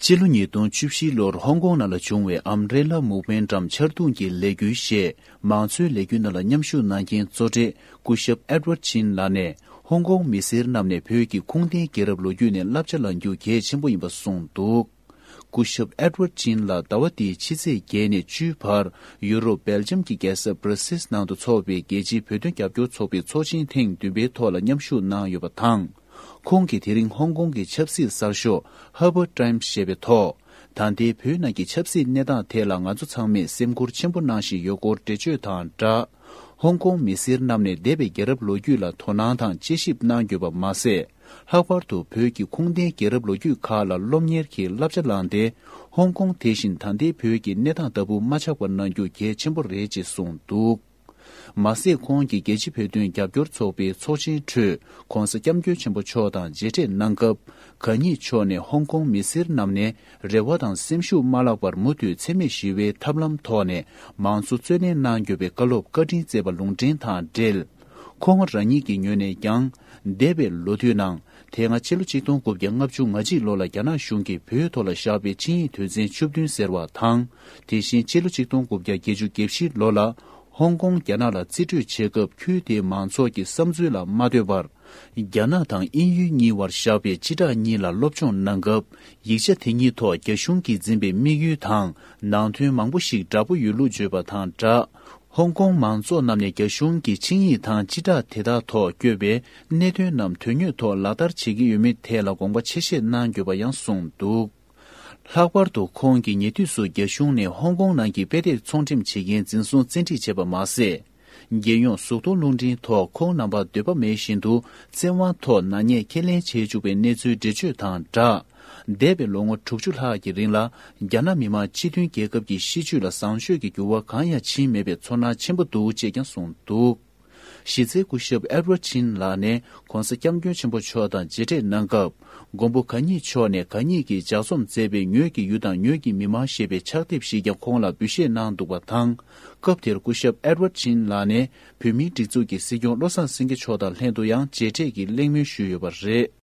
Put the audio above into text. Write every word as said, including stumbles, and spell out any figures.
སྤྱི་ལོ་ཉིས་སྟོང་བཅུ་བཞི་ལོར་ཧོང་ཀོང་ནང་ལ་བྱུང་བའི་ཨམ་རེ་ལ་མུབ་མེན་ཊམ་ཆར་རྡུང་གི་ལས་འགུལ་ཞེས་མང་གཙོའི་ལས་འགུལ་ནང་ལ་མཉམ་ཞུགས་གནང་མཁན་གཙོ་གྲས་སྐུ་ཞབས་ཨེ་ཌི་ཝར་ཌི་ཆིན་ལགས་ནས་ཧོང་ཀོང་མི་སེར་རྣམས་ནས་བོད་ཀྱི་ཁུངས་ལྡན་རྒྱལ་རབས་ལོ་རྒྱུས་ནས་བསླབ་བྱ་བླང་རྒྱུ་གལ་ཆེན་པོ་ཡིན་པ་གསུངས་འདུག་སྐུ་ཞབས་ཨེ་ཌི་ཝར་ཌི་ཆིན་ལགས་ཟླ་བ་འདིའི་ཕྱི་ཚེས་བརྒྱད་ནས་བཅུའི་བར་ཡུ་རོབ་སྦེལ་ཇམ་གྱི་རྒྱལ་ས་སྦྲ་སིལ་ནང་དུ་འཚོགས་པའི་རྒྱལ་སྤྱིའི་བོད་དོན་རྒྱབ་སྐྱོར་ཚོགས་པའི་ཚོགས་ཆེན་ཐེངས་བདུན་པའི་ཐོག་ལ་མཉམ་ཞུགས་གནང་ཡོད་པ་དང་། ཁོང་གིས་དེ་རིང་ཧོང་ཀོང་གི་ཆབ་སྲིད་གསར་ཤོག་ཧར་པར་ཊའིམ་སི་ཞེས་པའི་ཐོག་ད་ལྟའི་བོད་ནང་གི་ཆབ་སྲིད་གནས་སྟངས་ཐད་ལ་ང་ཚོ་ཚང་མས་སེམས་ཁུར་ཆེན་པོ་གནང་བཞིན་ཡོད་སྐོར་འགྲེལ་བརྗོད་དང་སྦྲགས། ཧོང་ཀོང་མི་སེར་རྣམས་ནས་འདས་པའི་རྒྱལ་རབས་ལོ་རྒྱུས་ལ་དོ་སྣང་དང་དཔྱད་ཞིབ་གནང་དགོས་པ་མ་ཟད། ལྷག་པར་དུ་བོད་ཀྱི་ཁུངས་ལྡན་རྒྱལ་རབས་ལོ་རྒྱུས་ཁག་ལ་སློབ་གཉེར་གྱི་བསླབ་བྱ་བླངས་ཏེ། ཧོང་ཀོང་དེ་བཞིན་ད་ལྟའི་བོད་ཀྱི་གནས་སྟངས་ལྟ་བུ་མ་ཆགས་པ་གནང་རྒྱུ་གལ་ཆེན་པོ་རེད་ཅེས་གསུངས་འདུག་མ་ཟད། ཁོང་གིས་རྒྱལ་སྤྱིའི་བོད་དོན་རྒྱབ་སྐྱོར་ཚོགས་པའི་ཚོགས་ཆེན་ཁྲོད་༧གོང་ས་༧སྐྱབས་མགོན་ཆེན་པོ་མཆོག་དང་མཇལ་འཕྲད་གནང་སྐབས། གང་ཉིད་མཆོག་ནས་ཧོང་ཀོང་མི་སེར་རྣམས་ནས་རེ་བ་དང་སེམས་ཤུགས་མ་བརླག་པར་མུ་མཐུད་འཚེ་མེད་ཞི་བའི་ཐབས་ལམ་ཐོག་ནས་མང་གཙོ་རྩོད་ལེན་གནང་དགོས་པའི་བཀའ་སློབ་བཀའ་དྲིན་སྩལ་བ་ལུང་འདྲེན་དང་འབྲེལ། ཁོང་རང་ཉིད་ཀྱི་ངོས་ནས་ཀྱང་། འདས་པའི་ལོ་དུས་ནང་། དེ་སྔ་ཕྱི་ལོ་ཆིག་སྟོང་དགུ་བརྒྱ་ལྔ་བཅུ་ང་གཅིག་ལོ་ལ་རྒྱ་ནག་གཞུང་གིས་བོད་ཐོག་ལ་བཞག་པའི་ཆིངས་ཡིག་དོན་ཚན་བཅུ་བདུན་ཟེར་བ་དང་། དེ་བཞིན་ཕྱི་ལོ་ཆིག་སྟོང་དགུ་བརྒྱ་བརྒྱད་ཅུ་གྱ་བཞི་ལོ་ལ། ཧོང་ཀོང་རྒྱ་ནག་ལ་རྩིས་སྤྲོད་བྱེད་སྐབས་ཁུལ་དེའི་མང་ཚོགས་ཀྱི་བསམ་ཚུལ་ལ་མ་ལྟོས་པར། རྒྱ་ནག་དང་དབྱིན་ཡུལ་གཉིས་བར་བཞག་པའི་སྤྱི་བསྒྲགས་གཉིས་ལ་སློབ་སྦྱོང་གནང་སྐབས། ཡིག་ཆ་དེ་གཉིས་ཐོག་རྒྱ་གཞུང་གིས་འཛིན་པའི་དམིགས་ཡུལ་དང་ནང་དོན་མང་པོ་ཞིག་འདྲ་པོ་ཡོད་ལུགས་བརྗོད་པ་དང་སྦྲགས། ཧོང་ཀོང་མང་ཚོགས་རྣམས་ནས་རྒྱ་གཞུང་གི་ཆིངས་ཡིག་དང་སྤྱི་བསྒྲགས་དེ་དག་ཐོག་བཀོད་པའི་གནད་དོན་རྣམས་དོན་དངོས་ཐོག་ལག་བསྟར་བྱེད་ཀྱི་ཡོད་མེད་ཐད་ལ་དགོངས་པ་ཆེ་བཞེས་གནང་དགོས་པ་ཡང་གསུངས་འདུག་ལྷག་པར་དུ་ཁོང་གིས་ཉེ་དུས་སུ་རྒྱ་གཞུང་ནས་ཧོང་ཀོང་ནང་གི་དཔེ་དེབ་ཚོང་འགྲེམས་བྱེད་མཁན་འཛིན་བཟུང་བཙན་ཁྲིད་བྱས་པ་མ་ཟད། རྒྱལ་ཡོངས་གཟུགས་མཐོང་རླུང་འཕྲིན་ཐོག་ཁོང་རྣམ་པ་འདོད་པ་མེད་བཞིན་དུ་བཙན་དབང་ཐོག་ནག་ཉེས་ཁས་ལེན་བྱེད་བཅུག་པའི་གནས་ཚུལ་འགྲེལ་བརྗོད་དང་སྦྲགས། འདས་པའི་ལོ་ངོ་དྲུག་ཅུ་ལྷག་གི་རིང་ལ་རྒྱ་ནག་མི་དམངས་སྤྱི་མཐུན་རྒྱལ་ཁབ་ཀྱི་སྲིད་བྱུས་ལ་བཟང་སྤྱོད་ཀྱི་འགྱུར་བ་གང་ཡང་ཕྱིན་མེད་པའི་ཚོར་སྣང་ཆེན་པོ་འདུག་ཅེས་ཀྱང་གསུངས་འདུག་གཞི་རྩའི་སྐུ་ཞབས་ཨེ་ཌི་ཝར་ཌི་ཆིན་ལགས་ནས་༧གོང་ས་༧སྐྱབས་མགོན་ཆེན་པོ་མཆོག་དང་མཇལ་འཕྲད་གནང་སྐབས། མགོན་པོ་གང་ཉིད་མཆོག་ནས་གང་ཉིད་ཀྱིས་ལྗགས་རྩོམ་མཛད་པའི་ངོས་ཀྱི་ཡུལ་དང་ངོས་ཀྱི་མི་མང་ཞེས་པའི་ཕྱག་དེབ་ཞིག་ཀྱང་ཁོང་ལ་འབུལ་བཞེས་གནང་འདུག་པ་དང་། སྐབས་དེར་སྐུ་ཞབས་ཨེ་ཌི་ཝར་ཌི་ཆིན་ལགས་ནས་བོད་མིའི་སྒྲིག་འཛུགས་ཀྱི་སྲིད་སྐྱོང་བློ་བཟང་སེང་གེ་མཆོག་དང་ལྷན་དུ་ཡང་མཇལ་འཕྲད་ཀྱི་གླེང་མོལ་ཞུས་ཡོད་པ་རེད།